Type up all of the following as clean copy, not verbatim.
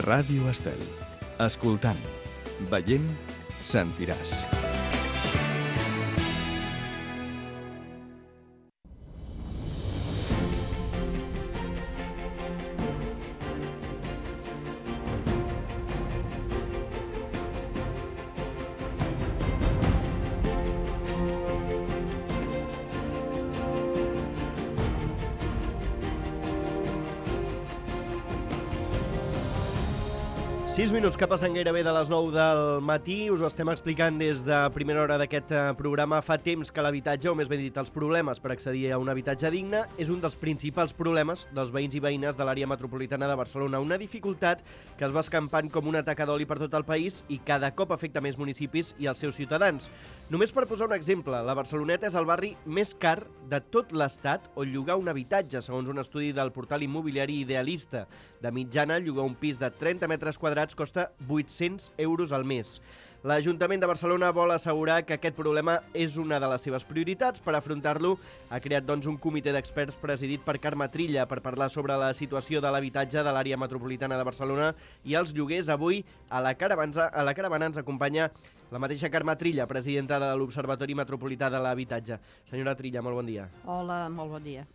Ràdio Estel. Escoltant, veient, sentiràs. Sis minuts que passen gairebé de les 9 del matí. Us ho estem explicant des de primera hora d'aquest programa. Fa temps que l'habitatge, o més ben dit, els problemes per accedir a un habitatge digne, és un dels principals problemes dels veïns i veïnes de l'àrea metropolitana de Barcelona. Una dificultat que es va escampant com una taca d'oli per tot el país i cada cop afecta més municipis i els seus ciutadans. Només per posar un exemple, la Barceloneta és el barri més car de tot l'Estat on llogar un habitatge, segons un estudi del portal immobiliari Idealista. De mitjana, llogar un pis de 30 metres quadrats costa 800 euros al mes. L'Ajuntament de Barcelona vol assegurar que aquest problema és una de les seves prioritats. Per afrontar-lo, ha creat un comitè d'experts presidit per Carme Trilla per parlar sobre la situació de l'habitatge de l'àrea metropolitana de Barcelona i els lloguers. Avui a la caravana ens acompanya la mateixa Carme Trilla, presidenta de l'Observatori Metropolità de l'Habitatge. Senyora Trilla, molt bon dia. Hola, molt bon dia.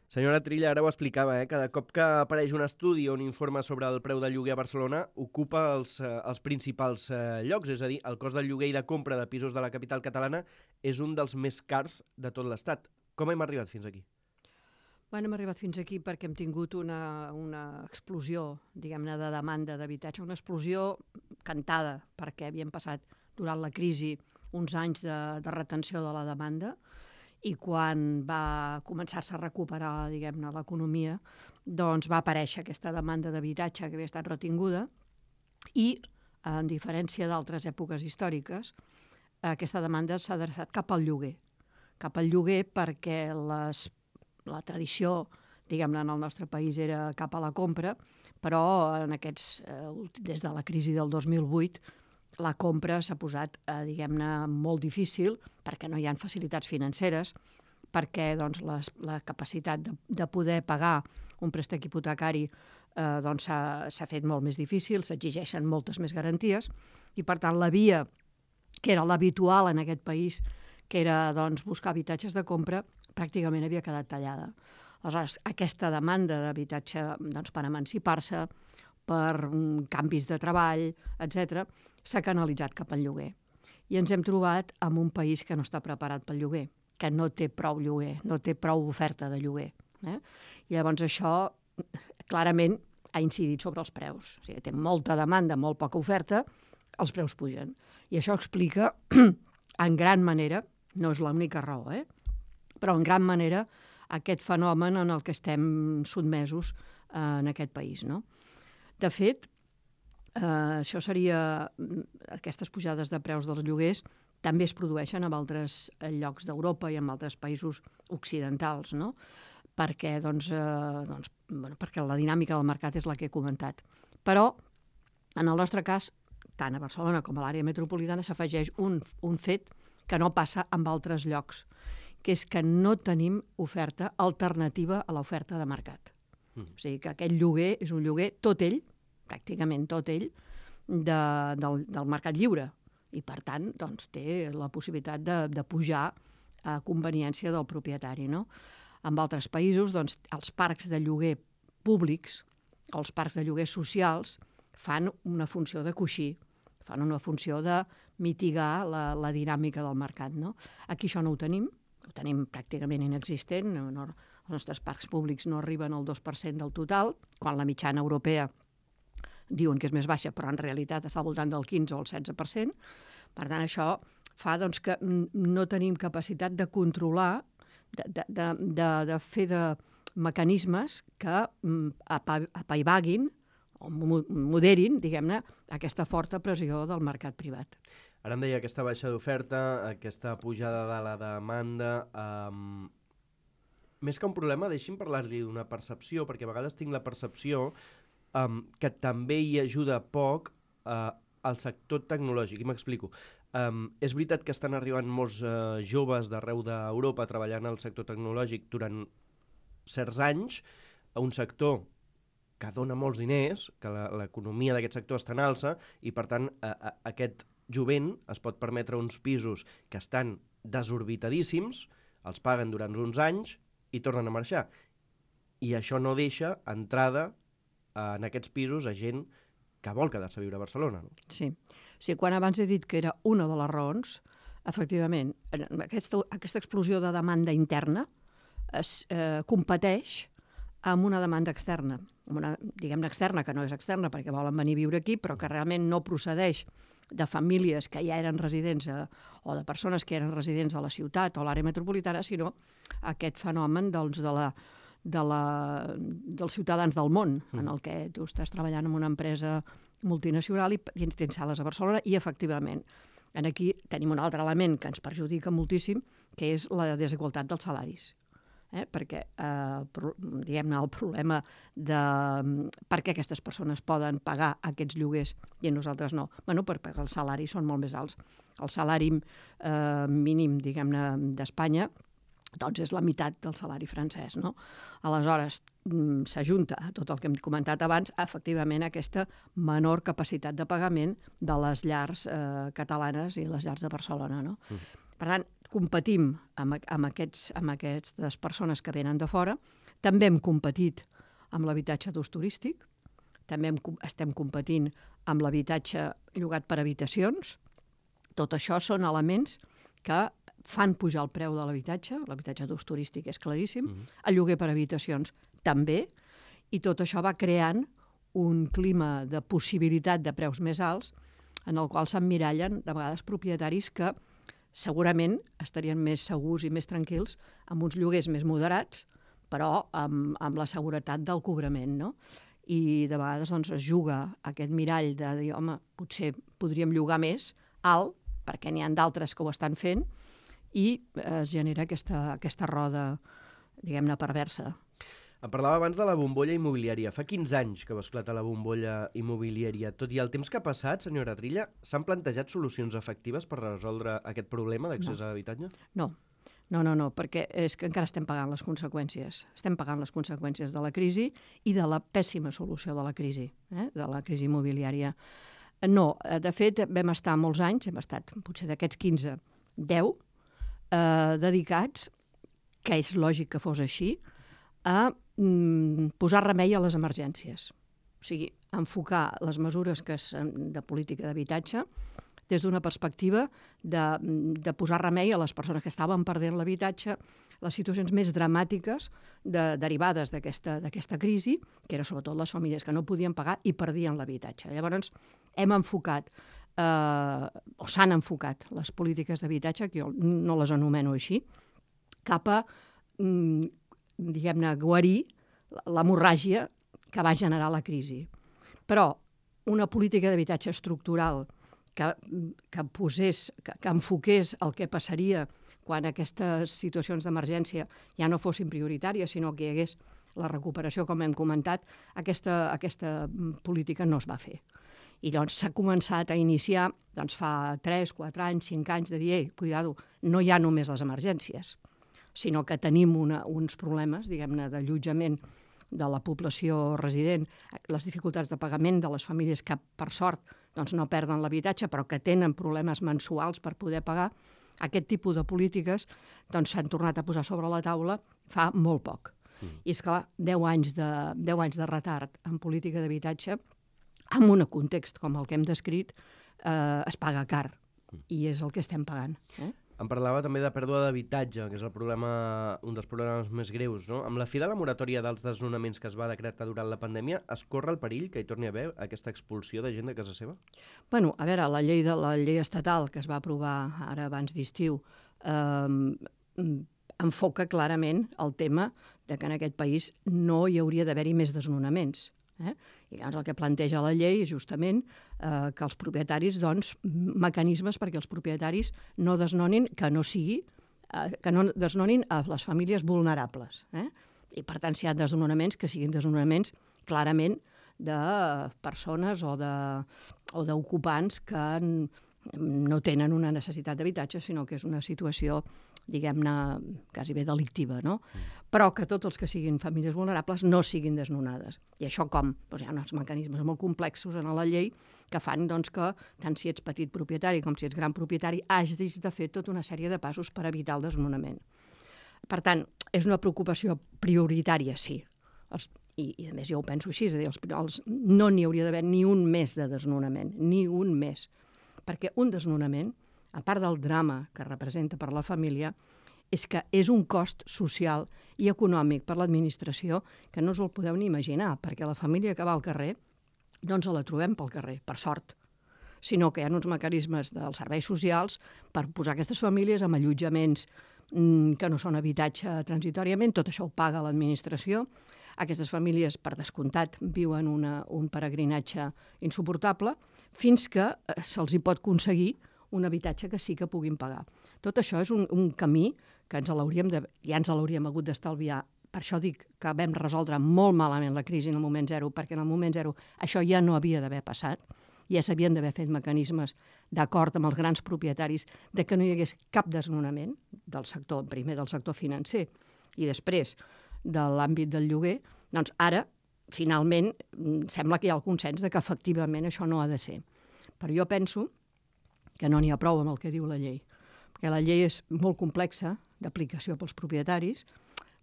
Senyora Trilla, ara ho explicava, cada cop que apareix un estudi o un informe sobre el preu del lloguer a Barcelona ocupa els principals llocs, és a dir, el cost del lloguer i de compra de pisos de la capital catalana és un dels més cars de tot l'Estat. Com hem arribat fins aquí? Bueno, hem arribat fins aquí perquè hem tingut una explosió, diguem-ne, de demanda d'habitatge, una explosió cantada, perquè havíem passat durant la crisi uns anys de retenció de la demanda, i quan va començar-se a recuperar, diguem-ne, l'economia, doncs va aparèixer aquesta demanda d'habitatge que havia estat retinguda i, en diferència d'altres èpoques històriques, aquesta demanda s'ha adreçat cap al lloguer. Cap al lloguer perquè la tradició, diguem-ne, en el nostre país era cap a la compra, però des de la crisi del 2008 la compra s'ha posat, diguem-ne, molt difícil perquè no hi ha facilitats financeres, perquè la capacitat de poder pagar un préstec hipotecari s'ha fet molt més difícil, s'exigeixen moltes més garanties i, per tant, la via que era l'habitual en aquest país, que era buscar habitatges de compra, pràcticament havia quedat tallada. Aleshores, aquesta demanda d'habitatge per emancipar-se, per canvis de treball, etc., s'ha canalitzat cap al lloguer. I ens hem trobat en un país que no està preparat pel lloguer, que no té prou lloguer, no té prou oferta de lloguer. I llavors això clarament ha incidit sobre els preus. O sigui, té molta demanda, molt poca oferta, els preus pugen. I això explica, en gran manera, no és l'única raó, però en gran manera aquest fenomen en el que estem sotmesos en aquest país, no? De fet, això aquestes pujades de preus dels lloguers també es produeixen en altres llocs d'Europa i en altres països occidentals, no? Perquè la dinàmica del mercat és la que he comentat. Però, en el nostre cas, tant a Barcelona com a l'àrea metropolitana, s'afegeix un fet que no passa en altres llocs, que és que no tenim oferta alternativa a l'oferta de mercat. O sigui que aquest lloguer és un lloguer, tot ell, pràcticament tot ell, del mercat lliure. I, per tant, té la possibilitat de pujar a conveniència del propietari, no? En altres països, els parcs de lloguer públics, els parcs de lloguer socials, fan una funció de coixí, fan una funció de mitigar la dinàmica del mercat, no? Aquí això no ho tenim pràcticament inexistent. Els nostres parcs públics no arriben al 2% del total, quan la mitjana europea diuen que és més baixa, però en realitat està al voltant del 15 o el 16%. Per tant, això fa que no tenim capacitat de controlar, de fer de mecanismes que apaivaguin o moderin, diguem-ne, aquesta forta pressió del mercat privat. Ara em deia aquesta baixa d'oferta, aquesta pujada de la demanda. Més que un problema, deixi'm parlar-li d'una percepció, perquè a vegades tinc la percepció que també hi ajuda poc al sector tecnològic. I m'explico. És veritat que estan arribant molts joves d'arreu d'Europa treballant al sector tecnològic durant certs anys a un sector que dona molts diners, que l'economia d'aquest sector està en alça i, per tant, aquest jovent es pot permetre uns pisos que estan desorbitadíssims, els paguen durant uns anys i tornen a marxar. I això no deixa entrada en aquests pisos a gent que vol quedar-se a viure a Barcelona. No? Sí. Quan abans he dit que era una de les raons, efectivament, aquesta explosió de demanda interna competeix amb una demanda externa, diguem-ne externa, que no és externa perquè volen venir a viure aquí, però que realment no procedeix de famílies que ja eren residents o de persones que eren residents a la ciutat o a l'àrea metropolitana, sinó aquest fenomen dels ciutadans del món, en el que tu estàs treballant en una empresa multinacional i tens sales a Barcelona i, efectivament, aquí tenim un altre element que ens perjudica moltíssim, que és la desigualtat dels salaris. Perquè, diguem-ne, el problema de per què aquestes persones poden pagar aquests lloguers i nosaltres no, perquè els salaris són molt més alts. El salari mínim, diguem-ne, d'Espanya doncs és la meitat del salari francès, no? Aleshores, s'ajunta a tot el que hem comentat abans, efectivament, aquesta menor capacitat de pagament de les llars catalanes i les llars de Barcelona, no? Per tant, competim amb aquestes persones que venen de fora, també hem competit amb l'habitatge d'ús turístic, també estem competint amb l'habitatge llogat per habitacions. Tot això són elements que fan pujar el preu de l'habitatge d'ús turístic és claríssim, el lloguer per habitacions també, i tot això va creant un clima de possibilitat de preus més alts en el qual s'emmirallen de vegades propietaris que segurament estarien més segurs i més tranquils amb uns lloguers més moderats, però amb la seguretat del cobrament, no? I de vegades doncs, es juga aquest mirall de dir, home, potser podríem llogar més alt, perquè n'hi ha d'altres que ho estan fent, i es genera aquesta roda, diguem-ne, perversa. Em parlava abans de la bombolla immobiliària. Fa 15 anys que va esclatar la bombolla immobiliària. Tot i el temps que ha passat, senyora Trilla, s'han plantejat solucions efectives per resoldre aquest problema d'accés a l'habitatge? No, perquè és que encara estem pagant les conseqüències. Estem pagant les conseqüències de la crisi i de la pèssima solució de la crisi immobiliària. No, de fet, vam estar molts anys, hem estat potser d'aquests 15, 10, dedicats, que és lògic que fos així, a posar remei a les emergències. O sigui, enfocar les mesures de política d'habitatge des d'una perspectiva de posar remei a les persones que estaven perdent l'habitatge, les situacions més dramàtiques derivades d'aquesta crisi, que eren sobretot les famílies que no podien pagar i perdien l'habitatge. Llavors, hem enfocat, o s'han enfocat les polítiques d'habitatge, que jo no les anomeno així, cap a, diguem-ne, guarir l'hemorràgia que va generar la crisi. Però una política d'habitatge estructural que enfoqués el que passaria quan aquestes situacions d'emergència ja no fossin prioritàries, sinó que hi hagués la recuperació, com hem comentat, aquesta política no es va fer. I doncs s'ha començat a iniciar fa 3, 4 anys, 5 anys, de dir, cuidado, no hi ha només les emergències, sinó que tenim uns problemes, diguem-ne, d'allotjament de la població resident, les dificultats de pagament de les famílies que, per sort, no perden l'habitatge, però que tenen problemes mensuals per poder pagar. Aquest tipus de polítiques s'han tornat a posar sobre la taula fa molt poc. I és clar, 10 anys de retard en política d'habitatge, en un context com el que hem descrit, es paga car, i és el que estem pagant. Em parlava també de pèrdua d'habitatge, que és un dels problemes més greus, no? Amb la fi de la moratòria dels desnonaments que es va decretar durant la pandèmia, es corre el perill que hi torni a haver aquesta expulsió de gent de casa seva? Bueno, a veure, la llei estatal que es va aprovar ara abans d'estiu enfoca clarament el tema de que en aquest país no hi hauria d'haver-hi més desnonaments. I llavors el que planteja la llei és justament que els propietaris, mecanismes perquè els propietaris no desnonin, que no desnonin a les famílies vulnerables. I per tant, si hi ha desnonaments, que siguin desnonaments clarament de persones o d'ocupants que no tenen una necessitat d'habitatge, sinó que és una situació, diguem-ne, quasi bé delictiva, no? Però que tots els que siguin famílies vulnerables no siguin desnonades. I això com? Doncs hi ha uns mecanismes molt complexos en la llei que fan doncs, que, tant si ets petit propietari com si ets gran propietari, hagis de fer tota una sèrie de passos per evitar el desnonament. Per tant, és una preocupació prioritària, sí. I a més jo ho penso així, és a dir, no n'hi hauria d'haver ni un mes de desnonament, ni un mes. Perquè un desnonament, a part del drama que representa per la família, és que és un cost social i econòmic per l'administració que no us el podeu ni imaginar, perquè la família que va al carrer no ens la trobem pel carrer, per sort, sinó que hi ha uns mecanismes dels serveis socials per posar aquestes famílies en allotjaments que no són habitatge transitoriament, tot això ho paga l'administració. Aquestes famílies, per descomptat, viuen un peregrinatge insuportable fins que se'ls hi pot aconseguir un habitatge que sí que puguin pagar. Tot això és un camí que ja ens l'hauríem hagut d'estalviar. Per això dic que vam resoldre molt malament la crisi en el moment zero, perquè en el moment zero això ja no havia d'haver passat, ja s'havien d'haver fet mecanismes d'acord amb els grans propietaris de que no hi hagués cap desnonament del sector, primer del sector financer i després de l'àmbit del lloguer. Doncs ara, finalment, sembla que hi ha el consens de que efectivament això no ha de ser. Però jo penso que no n'hi ha prou amb el que diu la llei, perquè la llei és molt complexa d'aplicació pels propietaris,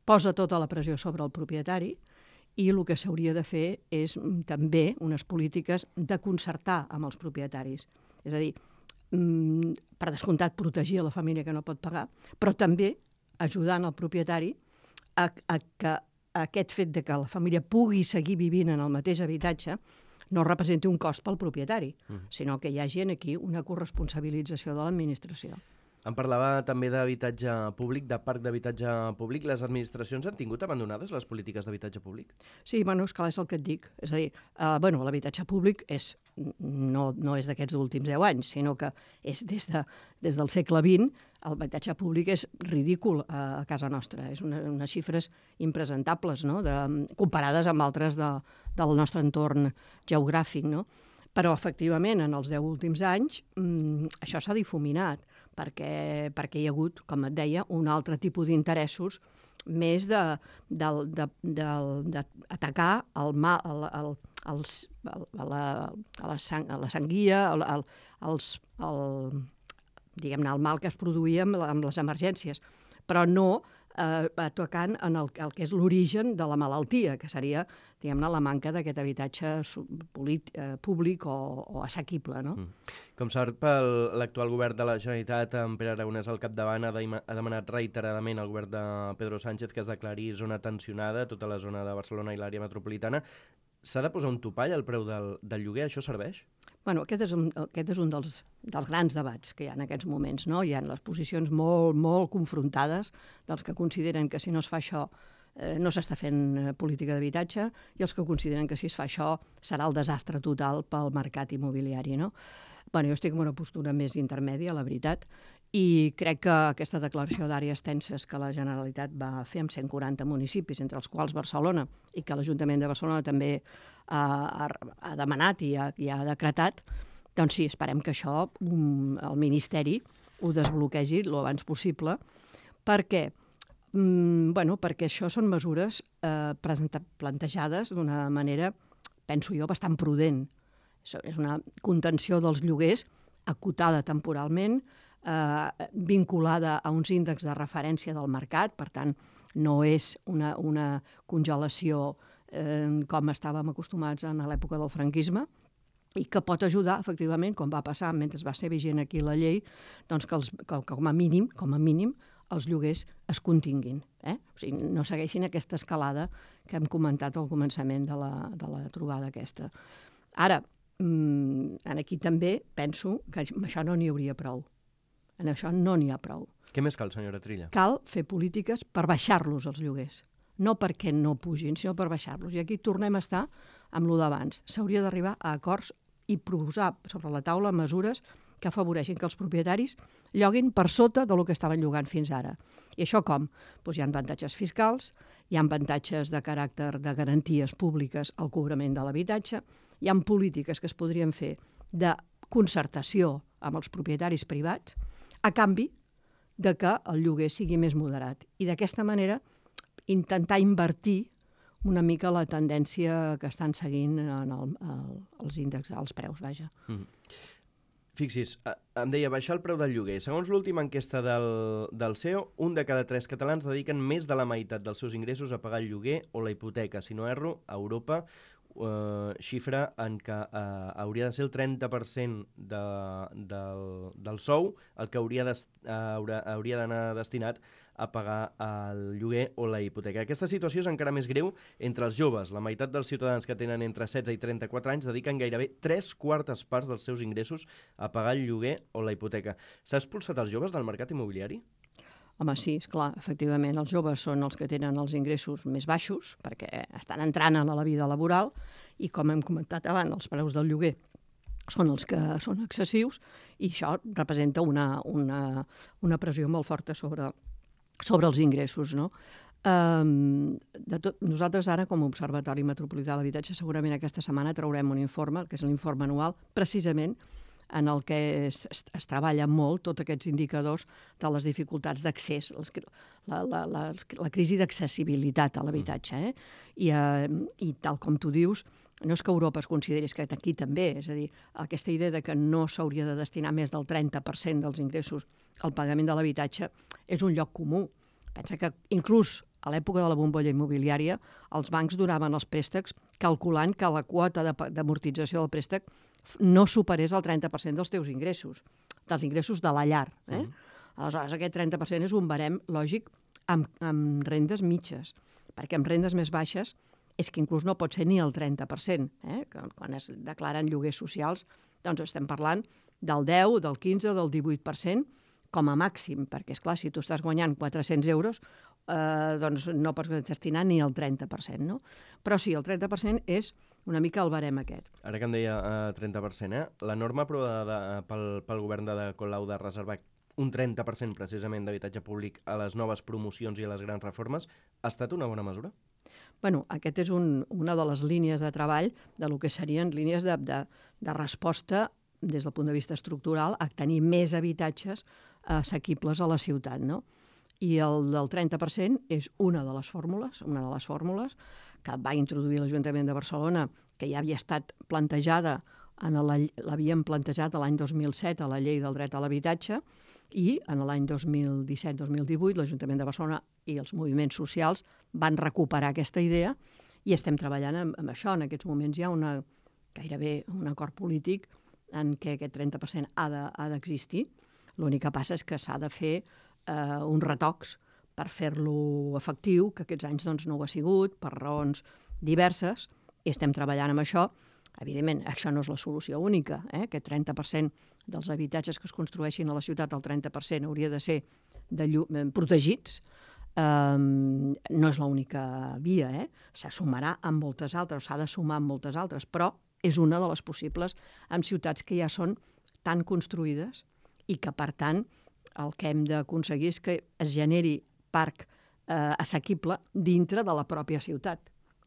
posa tota la pressió sobre el propietari i el que s'hauria de fer és també unes polítiques de concertar amb els propietaris. És a dir, per descomptat, protegir la família que no pot pagar, però també ajudant el propietari a que aquest fet de que la família pugui seguir vivint en el mateix habitatge no representi un cost pel propietari, sinó que hi hagi aquí una corresponsabilització de l'administració. Em parlava també d'habitatge públic, de parc d'habitatge públic. Les administracions han tingut abandonades les polítiques d'habitatge públic? Sí, és que és el que et dic. És a dir, l'habitatge públic no és d'aquests últims 10 anys, sinó que és des del segle XX. L'habitatge públic és ridícul a casa nostra. És unes xifres impresentables, no? Comparades amb altres del nostre entorn geogràfic, no? Però, efectivament, en els 10 últims anys això s'ha difuminat perquè hi ha hagut, com et deia, un altre tipus d'interessos més d'atacar la sanguia, diguem-ne, el mal que es produïa amb les emergències, però no tocant en el que és l'origen de la malaltia, que seria, diguem-ne, la manca d'aquest habitatge públic o assequible, no? Com sap, l'actual govern de la Generalitat, amb Pere Aragonès al capdavant, ha demanat reiteradament al govern de Pedro Sánchez que es declari zona tensionada, tota la zona de Barcelona i l'àrea metropolitana. S'ha de posar un topall al preu del lloguer? Això serveix? Bueno, aquest és un dels grans debats que hi ha en aquests moments, no? Hi ha les posicions molt, molt confrontades dels que consideren que si no es fa això no s'està fent política d'habitatge i els que consideren que si es fa això serà el desastre total pel mercat immobiliari, no? Bueno, jo estic en una postura més intermèdia, la veritat, i crec que aquesta declaració d'àrees tenses que la Generalitat va fer amb 140 municipis, entre els quals Barcelona, i que l'Ajuntament de Barcelona també ha demanat i ha decretat, doncs sí, esperem que això el Ministeri ho desbloquegi l'abans possible. Per què? Perquè això són mesures plantejades d'una manera, penso jo, bastant prudent. És una contenció dels lloguers acotada temporalment, vinculada a uns índexs de referència del mercat, per tant, no és una congelació com estàvem acostumats en l'època del franquisme, i que pot ajudar, efectivament, com va passar mentre va ser vigent aquí la llei, doncs que com a mínim, els lloguers es continguin. O sigui, no segueixin aquesta escalada que hem comentat al començament de la trobada aquesta. Ara, aquí també penso que amb això no n'hi hauria prou. En això no n'hi ha prou. Què més cal, senyora Trilla? Cal fer polítiques per baixar-los, els lloguers. No perquè no pugin, sinó per baixar-los. I aquí tornem a estar amb lo d'abans. S'hauria d'arribar a acords i posar sobre la taula mesures que afavoreixin que els propietaris lloguin per sota del que estaven llogant fins ara. I això com? Doncs hi ha avantatges fiscals, hi ha avantatges de caràcter de garanties públiques al cobrament de l'habitatge, hi ha polítiques que es podrien fer de concertació amb els propietaris privats, a canvi de que el lloguer sigui més moderat. I d'aquesta manera intentar invertir una mica la tendència que estan seguint els índexs, els preus, vaja. Fixi's, em deia baixar el preu del lloguer. Segons l'última enquesta del CEO, 1 de cada 3 catalans dediquen més de la meitat dels seus ingressos a pagar el lloguer o la hipoteca. Si no erro, a Europa xifra en què hauria de ser el 30% del sou el que hauria d'anar destinat a pagar el lloguer o la hipoteca. Aquesta situació és encara més greu entre els joves. La meitat dels ciutadans que tenen entre 16 i 34 anys dediquen gairebé 3/4 parts dels seus ingressos a pagar el lloguer o la hipoteca. S'ha expulsat els joves del mercat immobiliari? Home, sí, esclar, efectivament, els joves són els que tenen els ingressos més baixos perquè estan entrant a la vida laboral i, com hem comentat abans, els preus del lloguer són els que són excessius i això representa una pressió molt forta sobre els ingressos, no? Nosaltres ara, com a Observatori Metropolità de l'Habitatge, segurament aquesta setmana traurem un informe, que és l'informe anual, precisament en el que es treballa molt tots aquests indicadors de les dificultats d'accés, la crisi d'accessibilitat a l'habitatge. I tal com tu dius, no és que Europa es consideri, és que aquí també, és a dir, aquesta idea de que no s'hauria de destinar més del 30% dels ingressos al pagament de l'habitatge és un lloc comú. Pensa que inclús a l'època de la bombolla immobiliària els bancs donaven els préstecs calculant que la quota d'amortització del préstec no superés el 30% dels teus ingressos, dels ingressos de la llar. Aleshores, aquest 30% és un barem lògic amb rendes mitges, perquè amb rendes més baixes és que inclús no pot ser ni el 30%. Quan es declaren lloguers socials, doncs estem parlant del 10, del 15 o del 18% com a màxim, perquè, esclar, si tu estàs guanyant 400 euros, doncs no pots destinar ni el 30%, no? Però sí, el 30% és una mica el barem aquest. Ara que em deia 30%, la norma aprovada pel govern de Colau de reservar un 30% precisament d'habitatge públic a les noves promocions i a les grans reformes ha estat una bona mesura? Bueno, aquest és una de les línies de treball de lo que serien línies de resposta des del punt de vista estructural a tenir més habitatges assequibles a la ciutat, no? I el del 30% és una de les fórmules que va introduir l'Ajuntament de Barcelona, que ja havia estat plantejada, l'havien plantejat l'any 2007 a la Llei del Dret a l'Habitatge, i en l'any 2017-2018 l'Ajuntament de Barcelona i els moviments socials van recuperar aquesta idea i estem treballant amb això. En aquests moments hi ha gairebé un acord polític en què aquest 30% ha d'existir. L'únic que passa és que s'ha de fer uns retocs per fer-lo efectiu, que aquests anys doncs, no ho ha sigut, per raons diverses, i estem treballant amb això. Evidentment, això no és la solució única. Aquest 30% dels habitatges que es construeixin a la ciutat, el 30% hauria de ser protegits. No és l'única via. Se sumarà amb moltes altres, s'ha de sumar amb moltes altres, però és una de les possibles en ciutats que ja són tan construïdes i que, per tant, el que hem d'aconseguir és que es generi parc assequible dintre de la pròpia ciutat.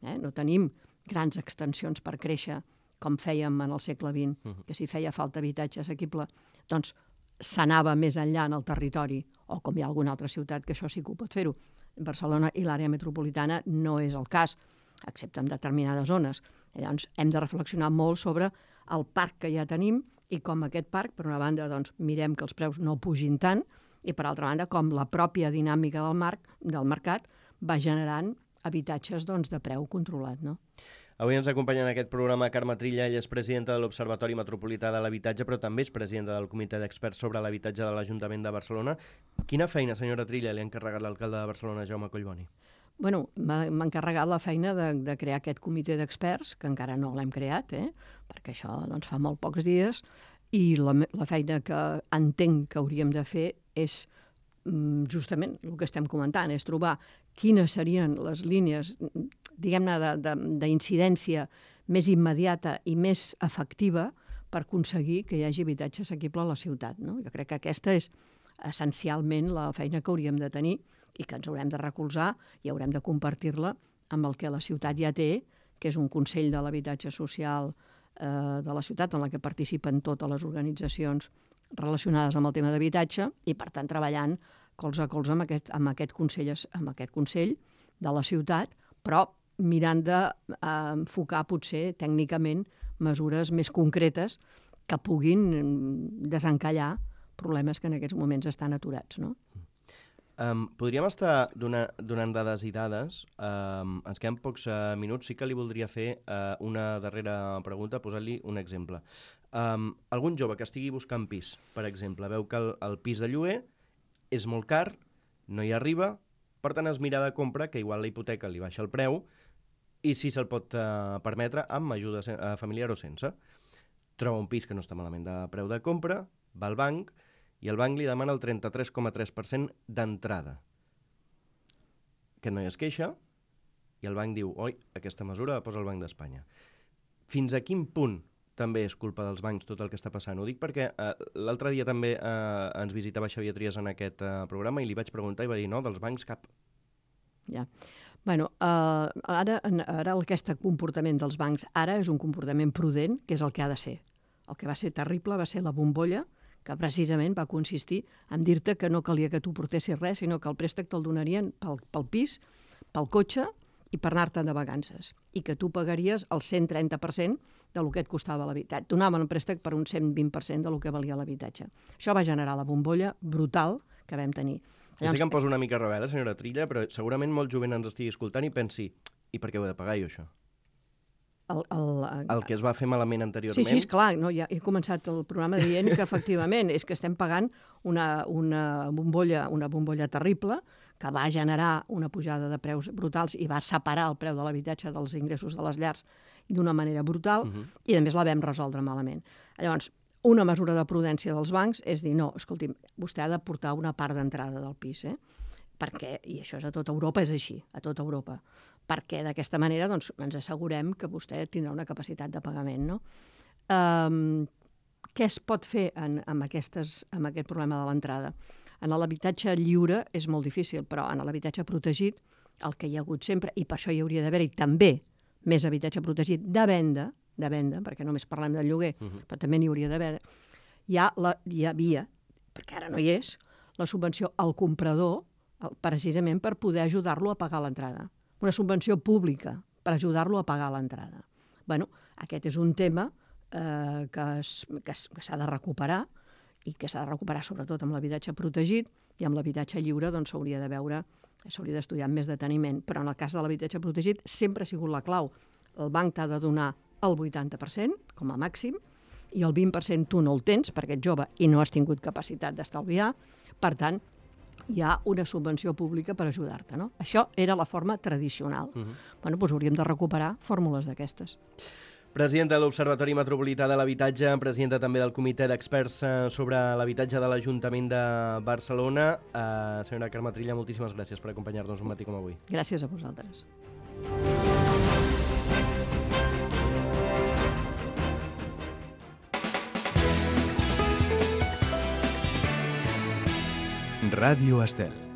No tenim grans extensions per créixer, com fèiem en el segle XX, que si feia falta habitatge assequible, doncs s'anava més enllà en el territori, o com hi ha alguna altra ciutat que això sí que ho pot fer-ho. Barcelona i l'àrea metropolitana no és el cas, excepte en determinades zones. Llavors hem de reflexionar molt sobre el parc que ja tenim i com aquest parc, per una banda, doncs, mirem que els preus no pugin tant i, per altra banda, com la pròpia dinàmica del mercat va generant habitatges de preu controlat, no? Avui ens acompanya en aquest programa Carme Trilla. Ella és presidenta de l'Observatori Metropolità de l'Habitatge, però també és presidenta del Comitè d'Experts sobre l'Habitatge de l'Ajuntament de Barcelona. Quina feina, senyora Trilla, li ha encarregat l'alcalde de Barcelona, Jaume Collboni? Bueno, m'ha encarregat la feina de crear aquest comitè d'experts, que encara no l'hem creat, perquè això fa molt pocs dies, i la feina que entenc que hauríem de fer és justament el que estem comentant, és trobar quines serien les línies, diguem-ne, d'incidència més immediata i més efectiva per aconseguir que hi hagi habitatge assequible a la ciutat, no? Jo crec que aquesta és essencialment la feina que hauríem de tenir i que ens haurem de recolzar i haurem de compartir-la amb el que la ciutat ja té, que és un Consell de l'Habitatge Social de la ciutat en la que participen totes les organitzacions relacionades amb el tema d'habitatge i, per tant, treballant colze a colze amb aquest consell de la ciutat, però mirant d'enfocar potser tècnicament mesures més concretes que puguin desencallar problemes que en aquests moments estan aturats, no? Podríem estar donant dades i dades. Ens queden pocs minuts. Sí que li voldria fer una darrera pregunta, posar-li un exemple. Algun jove que estigui buscant pis, per exemple, veu que el pis de lloguer és molt car, no hi arriba, per tant es mira de compra, que igual la hipoteca li baixa el preu, i si se'l pot permetre amb ajuda familiar o sense. Troba un pis que no està malament de preu de compra, va al banc, i el banc li demana el 33,3% d'entrada. Aquest noi es queixa, i el banc diu, oi, aquesta mesura la posa el Banc d'Espanya. Fins a quin punt també és culpa dels bancs tot el que està passant? Ho dic perquè l'altre dia també ens visitava Xavier Trias en aquest programa i li vaig preguntar i va dir, no, dels bancs cap. Ja. Bueno, ara aquest comportament dels bancs ara és un comportament prudent, que és el que ha de ser. El que va ser terrible va ser la bombolla, que precisament va consistir en dir-te que no calia que tu portessis res, sinó que el préstec te'l donarien pel pis, pel cotxe i per anar-te'n de vacances. I que tu pagaries el 130% del que et costava l'habitatge. Donaven el préstec per un 120% del que valia l'habitatge. Això va generar la bombolla brutal que vam tenir. Ja sé que em poso una mica rebel, senyora Trilla, però segurament molt jovent ens estigui escoltant i pensi, i per què ho he de pagar jo, això? El que es va fer malament anteriorment... Sí, esclar, no, ja he començat el programa dient que efectivament és que estem pagant una bombolla terrible que va generar una pujada de preus brutals i va separar el preu de l'habitatge dels ingressos de les llars d'una manera brutal i a més la vam resoldre malament. Llavors, una mesura de prudència dels bancs és dir, no, escolti'm, vostè ha de portar una part d'entrada del pis, perquè, i això és a tota Europa, és així, a tota Europa, perquè d'aquesta manera doncs, ens assegurem que vostè tindrà una capacitat de pagament, no? Què es pot fer amb aquest problema de l'entrada? En l'habitatge lliure és molt difícil, però en l'habitatge protegit, el que hi ha hagut sempre, i per això hi hauria d'haver-hi també més habitatge protegit de venda, perquè només parlem del lloguer, però també n'hi hauria d'haver, hi havia, perquè ara no hi és, la subvenció al comprador, precisament per poder ajudar-lo a pagar l'entrada. Una subvenció pública per ajudar-lo a pagar l'entrada. Bueno, aquest és un tema que s'ha de recuperar i que s'ha de recuperar sobretot amb l'habitatge protegit i amb l'habitatge lliure doncs s'hauria de veure, s'hauria d'estudiar amb més deteniment. Però en el cas de l'habitatge protegit sempre ha sigut la clau. El banc t'ha de donar el 80% com a màxim i el 20% tu no el tens perquè ets jove i no has tingut capacitat d'estalviar. Per tant, hi ha una subvenció pública per ajudar-te, no? Això era la forma tradicional. Bueno, doncs hauríem de recuperar fórmules d'aquestes. Presidenta de l'Observatori Metropolità de l'Habitatge, presidenta també del Comitè d'Experts sobre l'Habitatge de l'Ajuntament de Barcelona. Senyora Carme Trilla, moltíssimes gràcies per acompanyar-nos un matí com avui. Gràcies a vosaltres. Ràdio Estel.